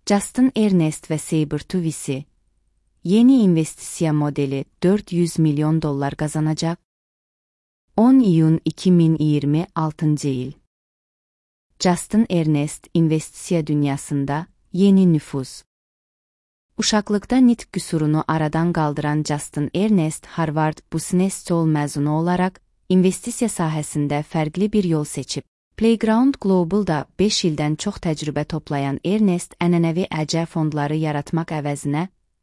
Justin Ernest ve Sabertooth VC, yeni investisiya modeli $400 milyon kazanacak. 10 iyun 2026 yıl. Justin Ernest investisiya dünyasında yeni nüfuz. Uşaqlıqda nitq qüsurunu aradan qaldıran Justin Ernest Harvard Business School məzunu olaraq investisiya sahəsində fərqli bir yol seçib. Playground Global'da 5 ildən çox təcrübə toplayan Ernest ənənəvi əcə fondları yaratmaq əvəzinə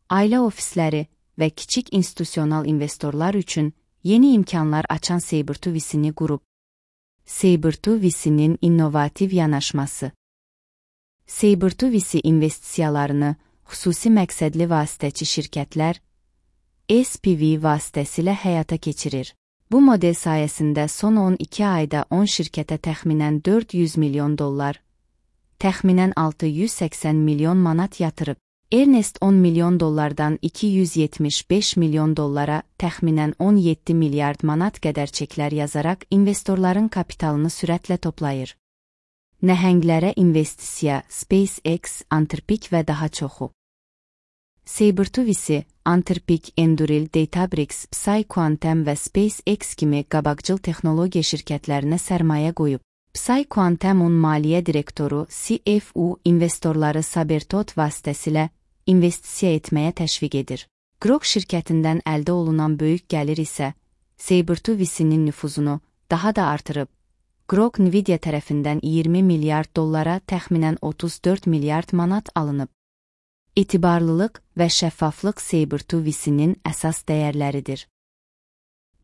ailə ofisləri və kiçik institusional investorlar üçün yeni imkanlar açan Sabertooth VC-ni qurub. Sabertooth VC-nin innovativ yanaşması. Sabertooth VC investisiyalarını xüsusi məqsədli vasitəçi şirkətlər SPV vasitəsilə həyata keçirir. Bu model sayəsində son 12 ayda 10 şirkətə təxminən $400 milyon, təxminən $680 milyon manat yatırıb. Ernest $10 milyon $275 milyon təxminən 17 milyard manat qədər çeklər yazaraq investorların kapitalını sürətlə toplayır. Nəhənglərə investisiya, SpaceX, Anthropic və daha çoxu. Sabertooth VC, Anthropic, Enduril, Databricks, PsiQuantum və SpaceX kimi qabaqcıl texnologiya şirkətlərinə sərmayə qoyub. PsiQuantumun maliyyə direktoru CFO investorları Sabertooth vasitəsilə investisiya etməyə təşviq edir. Grok şirkətindən əldə olunan böyük gəlir isə Sabertooth VC-nin nüfuzunu daha da artırıb. Grok Nvidia tərəfindən $20 milyard təxminən 34 milyard manat alınıb. Etibarlılıq və şəffaflıq Sabertooth VC-nin əsas dəyərləridir.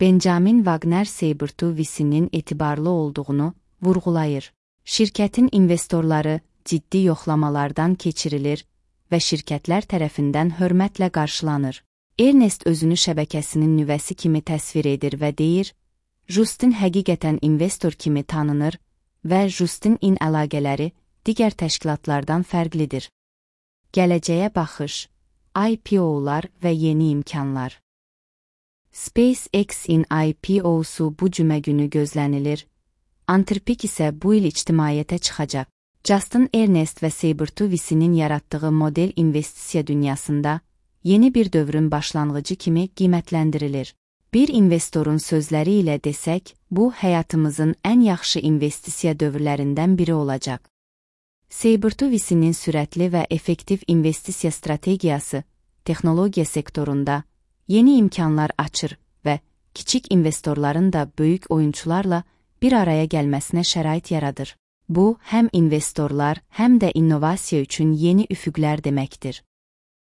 Benjamin Wagner Sabertooth VC-nin etibarlı olduğunu vurğulayır. Şirkətin investorları ciddi yoxlamalardan keçirilir və şirkətlər tərəfindən hörmətlə qarşılanır. Ernest özünü şəbəkəsinin nüvəsi kimi təsvir edir və deyir, Justin həqiqətən investor kimi tanınır və Justin-in əlaqələri digər təşkilatlardan fərqlidir. Gələcəyə baxış, IPO-lar və yeni imkanlar. SpaceX-in IPO-su bu cümə günü gözlənilir. Anthropic isə bu il ictimaiyyətə çıxacaq. Justin Ernest və Sabertooth VC-nin yaratdığı model investisiya dünyasında yeni bir dövrün başlanğıcı kimi qiymətləndirilir. Bir investorun sözləri ilə desək, bu həyatımızın ən yaxşı investisiya dövrlərindən biri olacaq. Sabertooth VC-nin sürətli və effektiv investisiya strategiyası texnologiya sektorunda yeni imkanlar açır və kiçik investorların da böyük oyunçularla bir araya gəlməsinə şərait yaradır. Bu, həm investorlar, həm də innovasiya üçün yeni üfüqlər deməkdir.